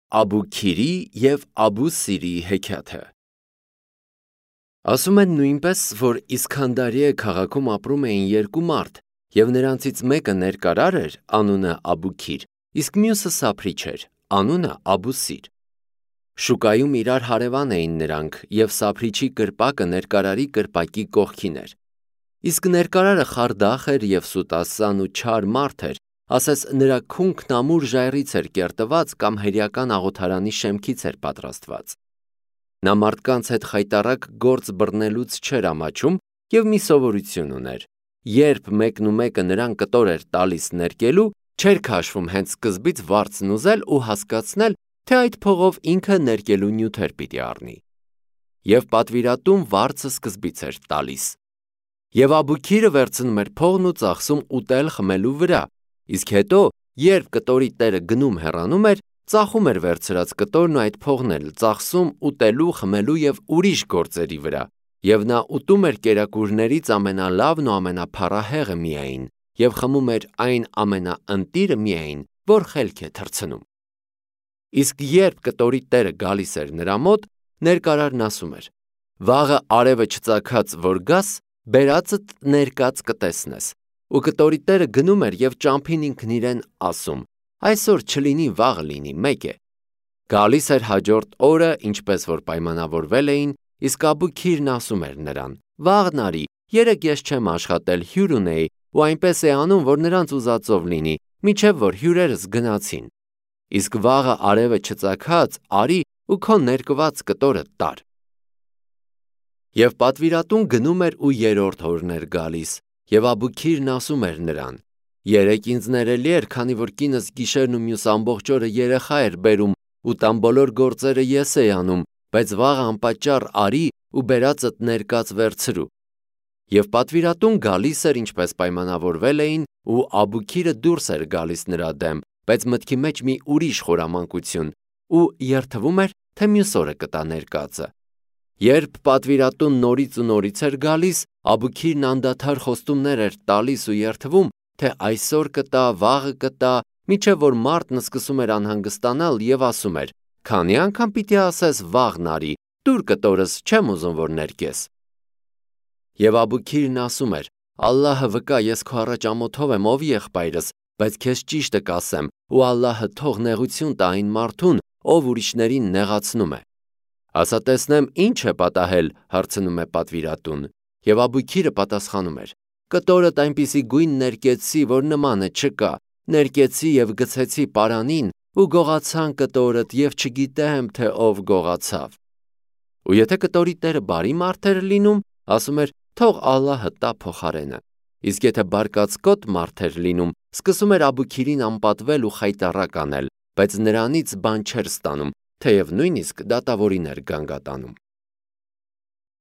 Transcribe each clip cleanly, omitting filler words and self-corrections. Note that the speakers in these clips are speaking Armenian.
Աբուքիրի և Աբուսիրի հեքիաթը։ Ասում են նույնպես, որ Իսքանդարիե քաղաքում ապրում էին երկու մարդ, և նրանցից մեկը ներկարար էր, անունը Աբուքիր, իսկ մյուսը սափրիչ էր, անունը Աբուսիր։ Շուկայում իրար հարևան էին նրանք, և սափրիչի կրպակը ներկարարի կրպակի կողքին էր։ Իսկ ներկարարը խարդախ էր և սուտասան ու չար մարդ էր, ասես նրա քունքն ամուր ժայռից էր կերտված կամ հերյական աղոթարանի շեմքից էր պատրաստված։ Նա մարդկանց հետ խայտառակ գործ բռնելուց չէր ամաչում և մի սովորություն ուներ. երբ մեկն ու մեկը նրան կտոր էր տալիս ներկելու, չէր քաշվում հենց սկզբից վարձն ուզել ու հասկացնել, թե այդ փողով ինքը ներկելու նյութեր պիտի առնի։ Եվ պատվիրատուն վարձը սկզբից էր տալիս։ Եվ Աբուքիրը վերցնում էր փողն ու ծախսում ուտել խմելու վրա, իսկ հետո, երբ կտորի տերը գնում հեռանում էր, ծախում էր վերցրած կտորն ու այդ փողն էլ ծախսում ուտելու, խմելու և ուրիշ գործերի վրա, և նա ուտում էր կերակուրներից ամենալավն ու ամենափառահեղը միայն, և խմում էր այն ամենաընտիրը միայն, որ խելք է թռցնում։ Իսկ երբ կտորի տերը գալիս էր նրա մոտ, ներկարարն ասում էր. «Վաղը արևը չծագած որ գաս, բերածդ ներկած կտեսնես», ու կտորի տերը գնում էր և ճամփին ինքն իրեն ասում. «Այսօր չլինի, վաղը լինի, մեկ է»։ Գալիս էր հաջորդ օրը, ինչպես որ պայմանավորվել էին, իսկ Աբուքիրն ասում էր նրան. «Վաղն արի, երեկ ես չեմ աշխատել, հյուր ունեի, ու այնպես է անում, որ նրանց ուզածով լինի, մինչև որ հյուրերս գնացին։ Իսկ վաղը արևը չծագած արի ու քո ներկված կտորը տար»։ Եվ պատվիրատուն գնում էր ու երրորդ օրն էր գալիս, և Աբուքիրն ասում էր նրան. «Երեկ ինձ ներելի էր, քանի որ կինս գիշերն ու մյուս ամբողջ օրը երեխա էր բերում ու տան բոլոր գործերը ես էի անում, բայց վաղը անպատճառ արի ու բերածդ ներկած վերցրու»։ Եվ պատվիրատուն գալիս էր, ինչպես պայմանավորվել էին, ու Աբուքիրը դուրս էր գալիս նրա դեմ, բայց մտքի մեջ մի ուրիշ խորամանկություն, ու երդվում էր, թե մյուս օրը կտա ներկածը։ Երբ պատվիրատուն նորից ու նորից էր գալիս, Աբուքիրն անդադար խոստումներ էր տալիս ու երդվում, թե այսօր կտա, վաղը կտա, մինչև որ մարդն սկսում էր անհանգստանալ և ասում էր. «Քանի անգամ պիտի ասես վաղն արի, տուր կտորս, չեմ ուզում, որ ներկես»։ Եվ Աբուքիրն ասում էր. «Ալլահը վկա, ես քո առաջ ամոթով եմ, ով եղբայրս, բայց քեզ ճիշտը կասեմ, ու Ալլահը թող նեղություն տա այն մարդուն, ով ուրիշներին նեղացնում է»։ Ասա տեսնեմ, ի՞նչ է պատահել, հարցնում է պատվիրատուն։ Եվ Աբուքիրը պատասխանում էր. «Կտորդ այնպիսի գույն ներկեցի, որ նմանը չկա, ներկեցի և գցեցի պարանին, ու գողացան կտորդ, և չգիտեմ, թե ով գողացավ»։ Ու եթե կտորի տերը բարի մարդ էր լինում, ասում էր. «Թող Ալլահը տա փոխարենը»։ Իսկ եթե բարկացկոտ մարդ էր լինում, սկսում էր Աբուքիրին անպատվել ու խայտառակ անել, բայց նրանից բան չէր ստանում, թեև նույնիսկ դատավորին էր գանգատանում։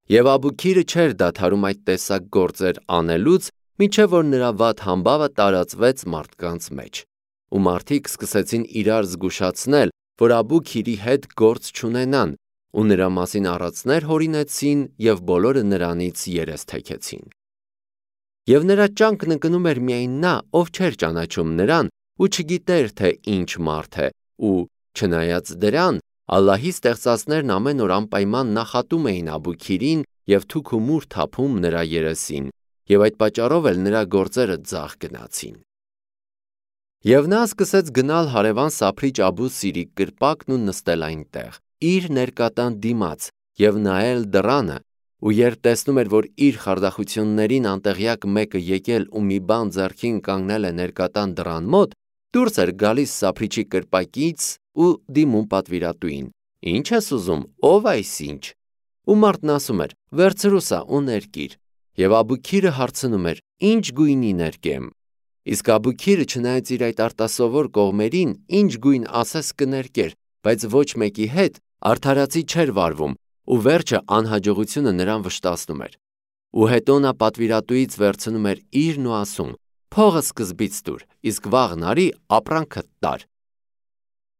Եվ Աբուքիրը չէր դադարում այդ տեսակ գործեր անելուց, մինչև որ նրա վատ համբավը տարածվեց մարդկանց մեջ, ու մարդիկ սկսեցին իրար զգուշացնել, որ Աբուքիրի հետ գործ չունենան, ու նրա մասին առածներ հորինեցին և բոլորը նրանից երես թեքեցին։ Եվ նրա ճանկն ընկնում էր միայն նա, ով չէր ճանաչում նրան ու չգիտեր, թե ինչ մարդ է, ու չնայած դրան, Ալլահի ստեղծածներն ամեն օր անպայման նախատում էին Աբուքիրին և թուք ու մուր թափում նրա երեսին, և այդ պատճառով էլ նրա գործերը ձախ գնացին։ Եվ նա սկսեց գնալ հարևան սափրիչ Աբուսիրի կրպակն ու նստել այնտեղ, իր ներկատան դիմաց, և նայել դռանը, ու երբ տեսնում էր, որ իր խարդախություններին անտեղյակ մեկը եկել ու մի բան ձեռքին կանգնել է ներկատան դռան մոտ, դուրս էր գալիս սափրիչի կրպակից ու դիմում պատվիրատուին. «Ի՞նչ ես ուզում, ո՞վ այսինչ»։ Ու մարդն ասում էր. «Վերցրու սա ու ներկիր»։ Եվ Աբուքիրը հարցնում էր. «Ի՞նչ գույնի ներկեմ»։ Իսկ Աբուքիրը, չնայած իր այդ արտասովոր կողմերին, ինչ գույն ասես կներկեր, բայց ոչ մեկի հետ արդարացի չէր վարվում, ու վերջը անհաջողությունը նրան վշտացնում էր։ Ու հետո նա պատվիրատուից վերցնում էր իրն ու ասում. «Փողը սկզբից տուր, իսկ վաղն արի ապրանքդ տար»։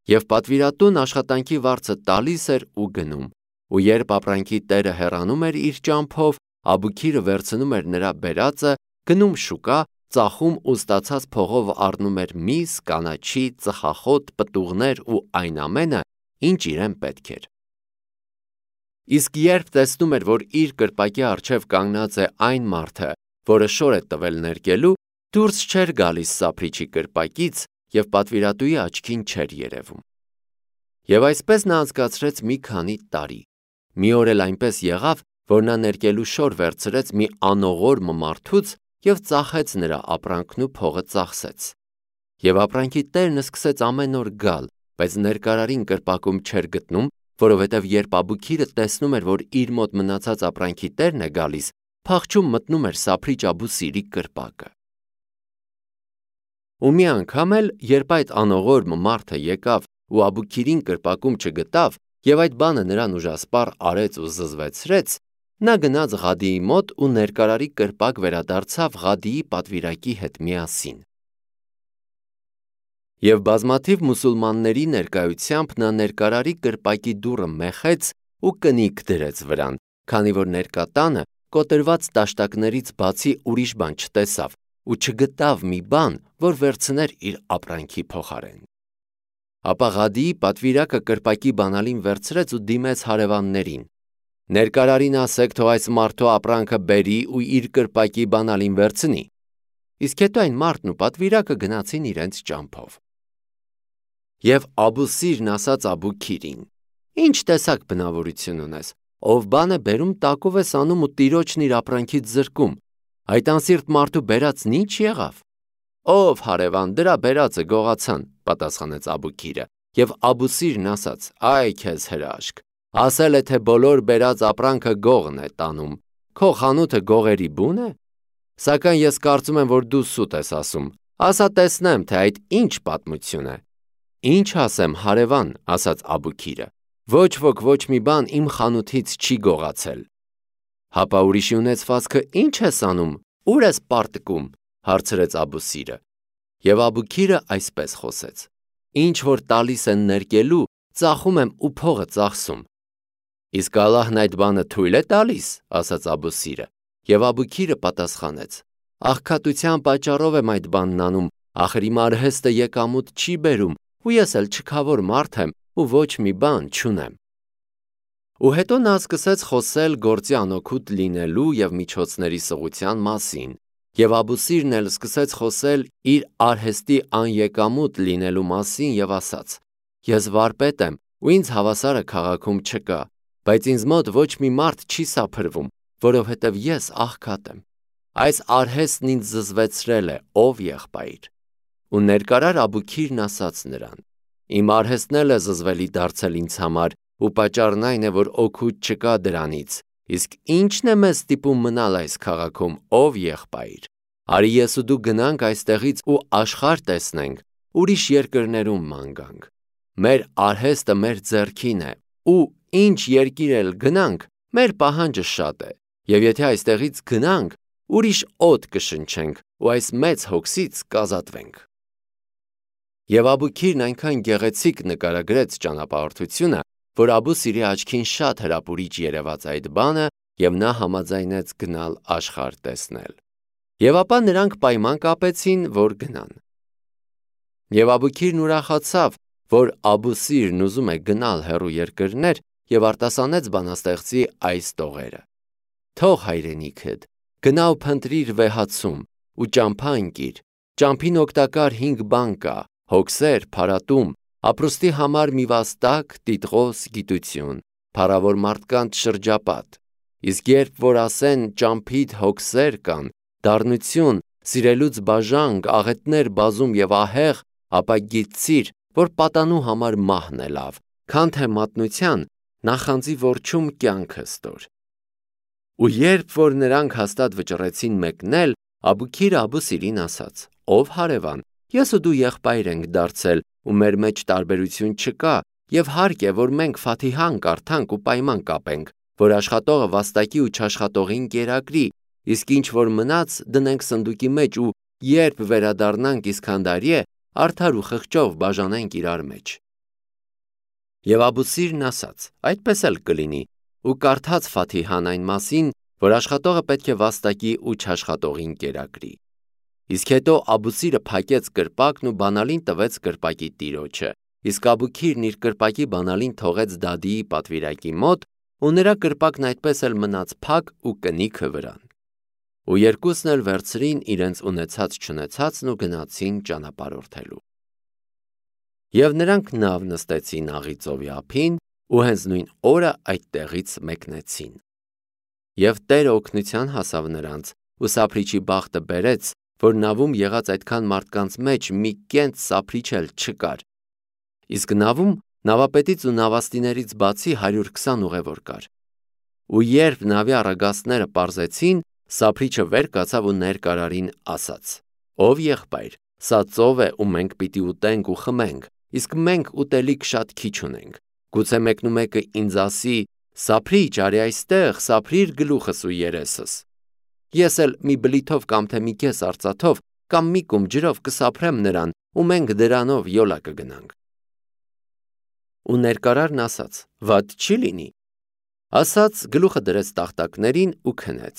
Եվ պատվիրատուն աշխատանքի վարձը տալիս էր ու գնում, ու երբ ապրանքի տերը հեռանում էր իր ճամփով, Աբուքիրը վերցնում էր նրա բերածը, գնում շուկա, ծախում ու ստացած փողով առնում էր միս, կանաչի, ծխախոտ, պտուղներ ու այն ամենը, ինչ իրեն պետք էր։ Իսկ երբ տեսնում էր, որ իր կրպակի առջև կանգնած է այն մարդը, որը շոր է տվել ներկելու, դուրս չէր գալիս սափրիչի կրպակից և պատվիրատուի աչքին չէր երևում։ Եվ այսպես նա անցկացրեց մի քանի տարի։ Մի օր էլ այնպես եղավ, որ նա ներկելու շոր վերցրեց մի անողորմ մարդուց և ծախեց նրա ապրանքն ու փողը ծախսեց։ Եվ ապրանքի տերն սկսեց ամեն օր գալ, բայց ներկարարին կրպակում չէր գտնում, որովհետև երբ Աբուքիրը տեսնում էր, որ իր մոտ մնացած ապրանքի տերն է գալիս, փախչում մտնում էր սափրիչ Աբուսիրի կրպակը։ Ու մի անգամ էլ, երբ այդ անողորմ մարդը եկավ ու Աբուքիրին կրպակում չգտավ և այդ բանը նրան ուժասպառ արեց ու զզվեցրեց, նա գնաց Ղադիի մոտ ու ներկարարի կրպակ վերադարձավ Ղադիի պատվիրակի հետ միասին։ Եվ բազմաթիվ մուսուլմանների ներկայությամբ նա ներկարարի կրպակի դուռը մեխեց ու կնիկ դրեց վրան, քանի որ ներկա տանը կոտրված տաշտակներից բացի ուրիշ բան չտեսավ ու չգտավ մի բան, որ վերցներ իր ապրանքի փոխարեն։ Ապա Ղադիի պատվիրակը կրպակի բանալին վերցրեց ու դիմեց հարևաններին. «Ներկարարին ասեք, թող այս մարդու ապրանքը բերի ու իր կրպակի բանալին վերցնի»։ Իսկ հետո այն մարդն ու պատվիրակը գնացին իրենց ճամփով։ Եվ Աբուսիրն ասաց Աբուքիրին. «Ինչ տեսակ բնավորություն ունես, ով բան է բերում, տակով ես անում ու տիրոջն իր ապրանքից զրկում, այդ անսիրտ մարդու բերածն ինչ եղավ»։ «Ով հարևան, դրա բերածը գողացան», պատասխանեց Աբուքիրը, և Աբուսիրն ասաց. «Այ քեզ հրաշք, ասել է, թե բոլոր բերած ապրանքը գողն է տանում, քո խանութը գողերի բուն է։ Սակայն ես կարծում եմ, որ դու սուտ ես ասում, ասա տեսնեմ, թե այդ ինչ պատմություն է»։ «Ինչ ասեմ, հարևան», ասաց Աբուքիրը, «ոչ ոք ոչ մի բան իմ խանութից չի գողացել»։ «Հապա ուրիշի ունեցվածքը ինչ ես անում, ուր ես պարտկում», հարցրեց Աբուսիրը։ Եվ Աբուքիրը այսպես խոսեց. «Ինչ որ տալիս են ներկելու, ծախում եմ ու փողը ծախսում»։ «Իսկ Ալլահն այդ բանը թույլ է տալիս», ասաց Աբուսիրը։ Եվ Աբուքիրը պատասխանեց. «Աղքատության պատճառով եմ այդ բանն անում, ախր իմ արհեստը եկամուտ չի բերում, ու ես էլ չքավոր մարդ եմ ու ոչ մի բան չունեմ»։ Ու հետո նա սկսեց խոսել գործի անօգուտ լինելու և միջոցների սղության մասին, և Աբուսիրն էլ սկսեց խոսել իր արհեստի անեկամուտ լինելու մասին և ասաց. «Ես վարպետ եմ ու ինձ հավասարը քաղաքում չկա, բայց ինձ մոտ ոչ մի մարդ չի սափրվում, որովհետև ես աղքատ եմ։ Այս արհեստն ինձ զզվեցրել է, ով եղբայր»։ Ու ներկարար Աբուքիրն ասաց նրան. «Իմ արհեստն էլ է զզվելի դարձել ինձ համար, ու պատճառն այն է, որ օգուտ չկա դրանից, իսկ ի՞նչն է մեզ ստիպում մնալ այս քաղաքում, ով եղբայր։ Արի ես ու դու գնանք այստեղից ու աշխարհ տեսնենք, ուրիշ երկրներում ման գանք։ Մեր արհեստը մեր ձեռքին է, ու ինչ երկիր էլ գնանք, մեր պահանջը շատ է, և եթե այստեղից գնանք, ուրիշ օդ կշնչենք ու այս մեծ հոգսից կազատվենք»։ Եվ Աբուքիրն այնքան գեղեցիկ նկարագրեց ճանապարհորդությունը, որ Աբուսիրի աչքին շատ հրապուրիչ երևաց այդ բանը, և նա համաձայնեց գնալ աշխարհ տեսնել։ Եվ ապա նրանք պայման կապեցին, որ գնան։ Եվ Աբուքիրն ուրախացավ, որ Աբուսիրն ուզում է գնալ հեռու երկրներ, և արտասանեց բանաստեղծի այս տողերը. «Թող հայրենիքդ, գնա ու փնտրիր վեհացում, ու ճամփա ընկիր, ճամփին օգտակար 5 բան կա, հոգսեր, փարատում, ապրուստի համար մի վաստակ, տիտղոս, գիտություն, փառավոր մարդկանց շրջապատ։ Իսկ երբ որ ասեն ճամփիդ հոգսեր կան, դառնություն, սիրելուց բաժանք, աղետներ բազում և ահեղ, ապա գիտցիր, որ պատանու համար մահն է լավ, քան թե մատնության նախանձի որջում կյանքը ստոր»։ Ու երբ որ նրանք հաստատ վճռեցին մեկնել, Աբուքիրը Աբուսիրին ասաց. «Ով հարևան, ես ու դու եղբայր ենք դարձել ու մեր մեջ տարբերություն չկա, և հարկ է, որ մենք Ֆաթիհան կարդանք ու պայման կապենք, որ աշխատողը վաստակի ու չաշխատողին կերակրի, իսկ ինչ որ մնաց դնենք սնդուկի մեջ ու երբ վերադառնանք Իսքանդարիե, արդար ու խղճով բաժանենք իրար մեջ»։ Եվ Աբուսիրն ասաց. «Այդպես էլ կլինի», ու կարդաց Ֆաթիհան այն մասին, որ աշխատողը պետք է վաստակի ու չաշխատողին կերակրի։ Իսկ հետո Աբուսիրը փակեց կրպակն ու բանալին տվեց կրպակի տիրոջը, իսկ Աբուքիրն իր կրպակի բանալին թողեց Դադիի պատվիրակի մոտ ու նրա կրպակն այդպես էլ մնաց փակ ու կնիքը վրան։ Ու երկուսն էլ վերցրին իրենց ունեցած-չունեցածն ու գնացին ճանապարհորդելու։ Եվ նրանք նավ նստեցին աղի ծովի ափին ու հենց նույն օրը այդ տեղից մեկնեցին։ Եվ Տերը օգնության հասավ նրանց ու սափրիչի բախտը բերեց, որ նավում եղած այդքան մարդկանց մեջ մի կենտ սափրիչ էլ չկար։ Իսկ նավում նավապետից ու նավաստիներից բացի 120 ուղևոր կար։ Ու երբ նավի առագաստները պարզեցին, սափրիչը վեր կացավ ու ներկարարին ասաց. «Ով եղբայր, սա ծով է ու մենք պիտի ուտենք ու խմենք, իսկ մենք ուտելիք շատ քիչ ունենք։ Գուցե մեկնումեկը ինձ ասի. «Սափրիչ, արի այստեղ, սափրիր գլուխս ու երեսս»։ Ես էլ մի բլիթով կամ թե մի կես արծաթով կամ մի կում ջրով կսափրեմ նրան ու մենք դրանով յոլա կգնանք»։ Ու ներկարարն ասաց. «Վատ չի լինի»։ Ասաց գլուխը դրեց տախտակներին ու քնեց։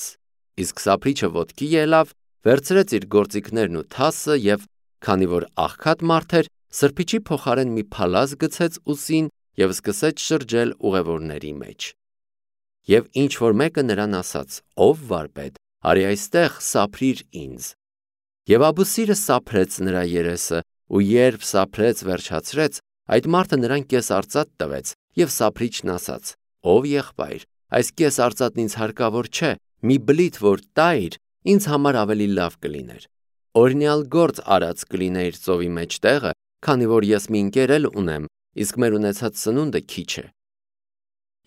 Իսկ սափրիչը ոտքի ելավ, վերցրեց իր գործիքներն ու թասը և, քանի որ աղքատ մարդ էր, սրբիչի փոխարեն մի փալաս գցեց ուսին և սկսեց շրջել ուղևորների մեջ։ Եվ ինչ որ մեկը նրան ասաց. «Ով վարպետ, արի այստեղ, սափրիր ինձ»։ Եվ Աբուսիրը սափրեց նրա երեսը, ու երբ սափրեց վերջացրեց, այդ մարդը նրան կես արծաթ տվեց, և սափրիչն ասաց. «Ով եղբայր, այս կես արծաթն ինձ հարկավոր չէ, մի բլիթ որ տայիր, ինձ համար ավելի լավ կլիներ։ Օրինյալ գործ արած կլինեիր ծովի մեջ տեղը, քանի որ ես մի ընկեր էլ ունեմ, իսկ մեր ունեցած սնունդը քիչ է»։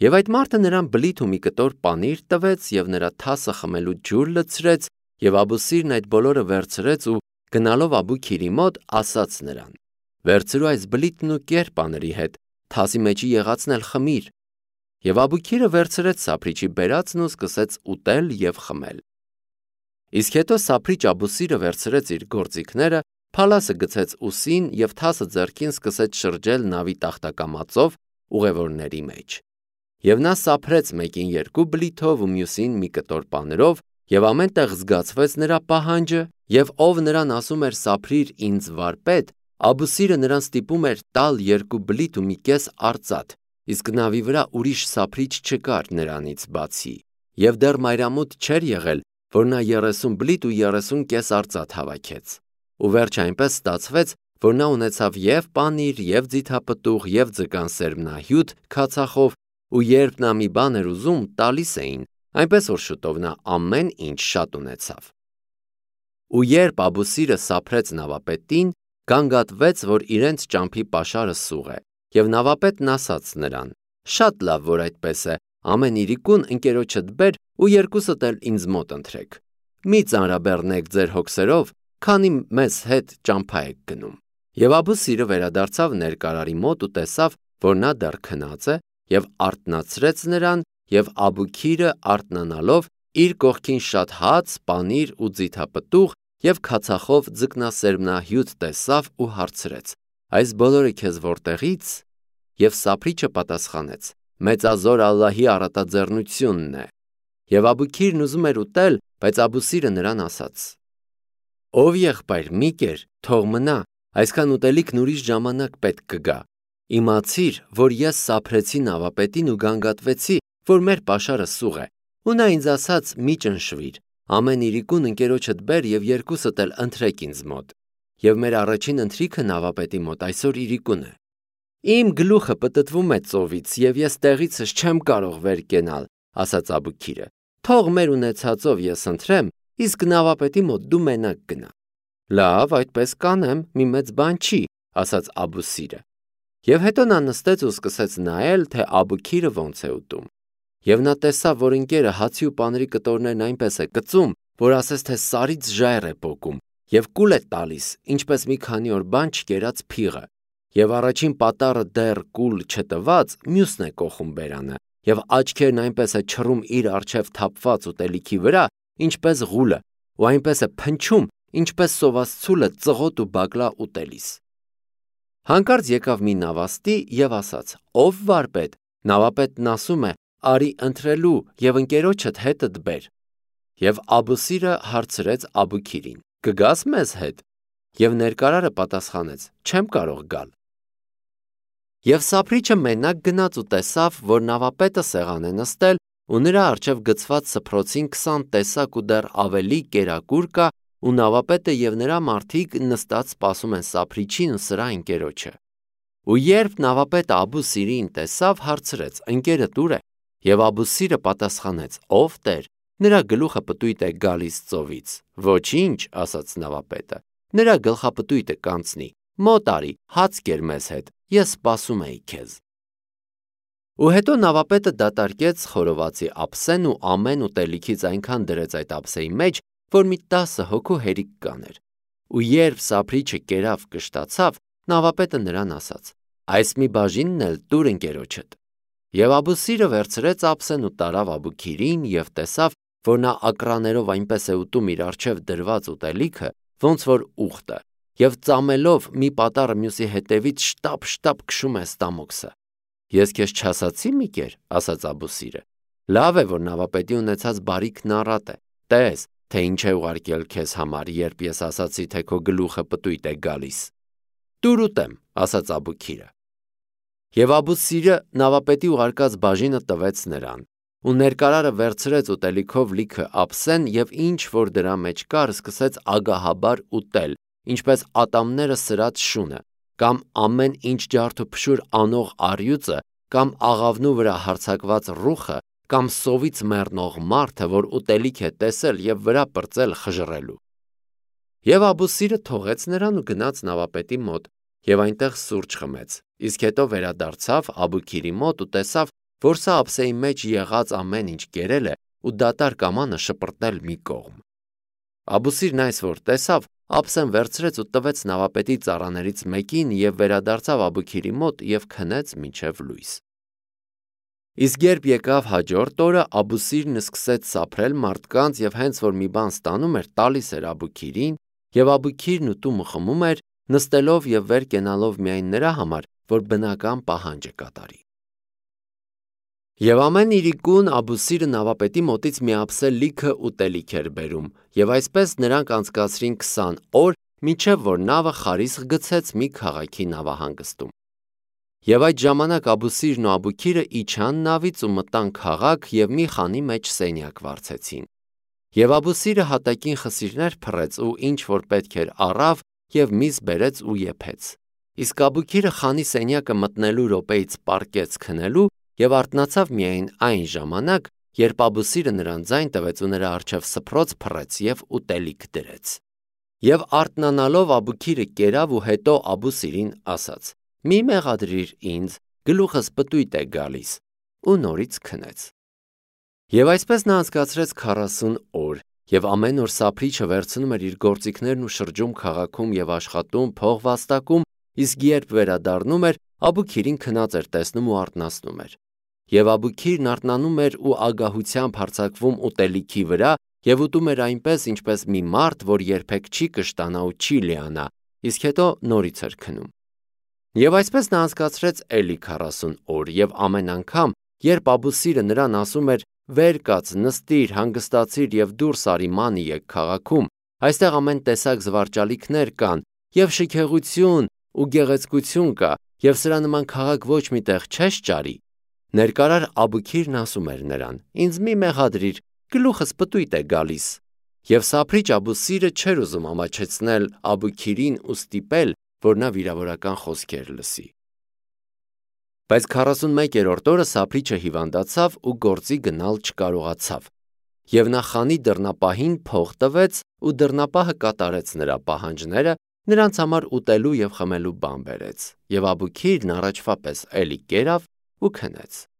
Եվ այդ մարդը նրան բլիթ ու մի կտոր պանիր տվեց և նրա թասը խմելու ջուր լցրեց, և Աբուսիրն այդ բոլորը վերցրեց ու գնալով Աբուքիրի մոտ ասաց նրան. «Վերցրու այս բլիթն ու կեր պանրի հետ, թասի մեջի եղածն էլ խմիր»։ Եվ Աբուքիրը վերցրեց սափրիչի բերածն ու սկսեց ուտել և խմել։ Իսկ հետո սափրիչ Աբուսիրը վերցրեց իր գործիքները, փալասը գցեց ուսին և թասը ձեռքին սկսեց շրջել նավի տախտակամածով ուղևորների մեջ։ Եվ նա սափրեց մեկին 2 բլիթով ու մյուսին մի կտոր պանրով, և ամեն տեղ զգացվեց նրա պահանջը, և ով նրան ասում էր սափրիր ինձ վարպետ, Աբուսիրը նրան ստիպում էր տալ 2 բլիթ ու մի կես արծաթ, իսկ նավի վրա ուրիշ սափրիչ չկար նրանից բացի, և դեռ մայրամուտ չէր եղել, որ նա 30 բլիթ ու 30 կես արծաթ հավաքեց։ Ու վերջ այնպես ստացվեց, որ նա ունեցավ և պանիր, և ձիթապտուղ, և ձկան սերմնահյութ քացախով, ու երբ նա մի բան էր ուզում, տալիս էին, այնպես որ շուտով նա ամեն ինչ շատ ունեցավ։ Ու երբ Աբուսիրը սափրեց նավապետին, գանգատվեց, որ իրենց ճամփի պաշարը սուղ է, և նավապետն ասաց նրան. «Շատ լավ, որ այդպես է, ամեն իրիկուն ընկերոջդ բեր ու երկուսդ էլ ինձ մոտ ընթրեք։ Մի ծանրաբեռնեք ձեր հոգսերով, քանի մեզ հետ ճամփա եք գնում»։ Եվ Աբուսիրը վերադարձավ ներկարարի մոտ ու տեսավ, որ նա դեռ քնած է, և արթնացրեց նրան, և Աբուքիրը արթնանալով իր կողքին շատ հաց, պանիր ու ձիթապտուղ և քացախով ձկնասերմնահյութ տեսավ ու հարցրեց. «Այս բոլորը քեզ որտեղի՞ց»։ Եվ սափրիչը պատասխանեց. «Մեծազոր Ալլահի առատաձեռնությունն է»։ Եվ Աբուքիրն ուզում էր ուտել, բայց Աբուսիրը նրան ասաց. «Ով եղբայր, մի կեր, թող մնա, այսքան ուտելիքն ուրիշ ժամանակ պետք կգա։ Իմացիր, որ ես սափրեցի նավապետին ու գանգատվեցի, որ մեր պաշարը սուղ է, ու նա ինձ ասաց. մի ճնշվիր, ամեն իրիկուն ընկերոջդ բեր և երկուսդ էլ ընթրեք ինձ մոտ։ Եվ մեր առաջին ընթրիքը նավապետի մոտ այսօր իրիկուն է։ Իմ գլուխը պտտվում է ծովից, և ես տեղիցս չեմ կարող վեր կենալ», ասաց Աբուքիրը։ «Թող մեր ունեցածով ես ընթրեմ, իսկ նավապետի մոտ դու մենակ գնա»։ «Լավ, այդպես կանեմ, մի մեծ բան չի», ասաց Աբուսիրը։ Եվ հետո նա նստեց ու սկսեց նայել, թե Աբուքիրը ոնց է ուտում։ Եվ նա տեսավ, որ ընկերը հացի ու պանրի կտորներն այնպես է կծում, որ ասես թե սարից ժայռ է պոկում, և կուլ է տալիս, ինչպես մի քանի օր բան չկերած փիղը։ Եվ առաջին պատառը դեռ կուլ չտված, մյուսն է կոխում բերանը, և աչքերն այնպես է չռում իր առջև թափված ուտելիքի վրա, ինչպես ղուլը, ու այնպես է փնչում, ինչպես սոված ցուլը ծղոտ ու բակլա ուտելիս։ Հանկարծ եկավ մի նավաստի և ասաց. «Ով վարպետ»։ Նավապետն ասում է. «Արի ընթրելու և ընկերոջդ հետդ բեր»։ Եվ Աբուսիրը հարցրեց Աբուքիրին. «Կգաս մեզ հետ»։ Եվ ներկարարը պատասխանեց. «Չեմ կարող գալ»։ Եվ սափրիչը մենակ գնաց ու տեսավ, որ նավապետը սեղան է նստել ու նրա առջև գցված սփռոցին 20 տեսակ ու դեռ ավելի կերակուր կա ու նավապետը և նրա մարդիկ նստած սպասում են սափրիչին ու սրա ընկերոջը։ Ու երբ նավապետը Աբու Սիրին տեսավ, հարցրեց. ընկերդ ուր է։ Եվ Աբու Սիրը պատասխանեց. ով Տեր, նրա գլուխը պտույտ է գալիս ծովից։ Ոչինչ, ասաց նավապետը, նրա գլխապտույտը կանցնի, մոտ արի, հաց կեր մեզ հետ, ես սպասում էի քեզ։ Ու հետո նավապետը դատարկեց խորովածի ափսեն ու ամեն ուտելիքից այնքան դրեց այդ ափսեի մեջ, որ մի 10 հոգու հերիք կաներ։ Ու երբ սափրիչը կերավ կշտացավ, նավապետը նրան ասաց. այս մի բաժինն էլ տուր ընկերոջդ։ Եվ Աբու Սիրը վերցրեց ափսեն ու տարավ Աբուքիրին և տեսավ, որ նա ակռաներով այնպես է ուտում իր առջև դրված ուտելիքը, ոնց որ ուղտը, և ծամելով մի պատառը մյուսի հետևից շտապ քշում է ստամոքսը։ Ես քեզ չասացի՞ մի կեր, ասաց Աբու Սիրը։ Լավ է, որ նավապետի ունեցած բարիքն առատ է, տես, թե ինչ է ուղարկել քեզ համար, երբ ես ասացի, թե քո գլուխը պտույտ է գալիս։ Տուր ուտեմ, ասաց Աբուքիրը։ Եվ Աբու Սիրը նավապետի ուղարկած բաժինը տվեց նրան, ու ներկարարը վերցրեց ուտելիքով լիքը ափսեն և ինչ որ դրա մեջ կար, սկսեց ագահաբար ուտել, ինչպես ատամները սրած շունը, կամ ամեն ինչ ջարդ ու փշուր անող առյուծը, կամ աղավնու վրա հարձակված ռուխը, կամ սովից մեռնող մարդը, որ ուտելիք է տեսել և վրա պրծել խժռելու։ Եվ Աբու Սիրը թողեց նրան ու գնաց նավապետի մոտ և այնտեղ սուրճ խմեց, իսկ հետո վերադարձավ Աբուքիրի մոտ ու տեսավ, որ սա ափսեի մեջ եղած ամեն ինչ կերել է ու դատարկ ամանը շպրտել մի կողմ։ Աբու Սիրն այս որ տեսավ, ափսեն վերցրեց ու տվեց նավապետի ծառաներից մեկին և վերադարձավ Աբուքիրի մոտ և քնեց մինչև լույս։ Իսկ երբ եկավ հաջորդ օրը, Աբու Սիրն սկսեց սափրել մարդկանց և հենց որ մի բան ստանում էր, տալիս էր Աբուքիրին, և Աբուքիրն ուտում ու խմում էր, նստելով և վեր կենալով միայն նրա համար, որ բնական պահանջը կատարի։ Եվ ամեն իրիկուն Աբու Սիրը նավապետի մոտից մի ափսե լիքը ուտելիք էր բերում, և այսպես նրանք անցկացրին 20 օր, մինչև որ նավը խարիսխ գցեց մի քաղաքի նավահանգստում։ Եվ այդ ժամանակ Աբու Սիրն ու Աբուքիրը իջան նավից ու մտան քաղաք և մի խանի մեջ սենյակ վարձեցին։ Եվ Աբու Սիրը հատակին խսիրներ փռեց ու ինչ որ պետք էր առավ և միզ բերեց ու եփեց։ Իսկ Աբուքիրը խանի սենյակը մտնելու րոպեից պառկեց քնելու և արթնացավ միայն այն ժամանակ, երբ Աբու Սիրը նրան ձայն տվեց ու նրա առջև սփռոց փռեց և ուտելիք դրեց։ Եվ արթնանալով Աբուքիրը կերավ ու հետո Աբու Սիրին ասաց. մի մեղադրիր ինձ, գլուխս պտույտ է գալիս, ու նորից քնեց։ Եվ այսպես նա անցկացրեց 40 օր, և ամեն օր սափրիչը վերցնում էր իր գործիքներն ու շրջում քաղաքում և աշխատում, փող վաստակում, իսկ երբ վերադառնում էր, Աբուքիրին քնած էր տեսնում ու արթնացնում էր։ Եվ Աբուքիրն արթնանում էր ու ագահությամբ հարձակվում ուտելիքի վրա և ուտում էր այնպես, ինչպես մի մարդ, որ երբեք չի կշտանա ու չի լիանա, իսկ հետո նորից էր քնում։ Եվ այսպես նա անցկացրեց էլի 40 օր, և ամեն անգամ, երբ Աբու Սիրը նրան ասում էր. «Վեր կաց, նստիր, հանգստացիր և դուրս արի ման եկ քաղաքում, այստեղ ամեն տեսակ զվարճալիքներ կան, և շքեղություն ու գեղեցկություն կա, և սրա նման քաղաք ոչ մի տեղ չես ճարի», ներկարար Աբուքիրն ասում էր նրան. «Ինձ մի մեղադրիր, գլուխս պտույտ է գալիս»։ Եվ սափրիչ Աբու Սիրը չէր ուզում ամաչեցնել Աբուքիրին ու ստիպել, որ նա վիրավորական խոսքեր լսի։ Բայց 41-րդ օրը սափրիչը հիվանդացավ ու գործի գնալ չկարողացավ։ Եվ նա խանի դռնապահին փող տվեց ու դռնապահը կատարեց նրա պահանջները, նրանց համար ուտելու և խմելու բան բերեց, և Աբուքիրն առաջվա պես էլի կերավ ու քնեց։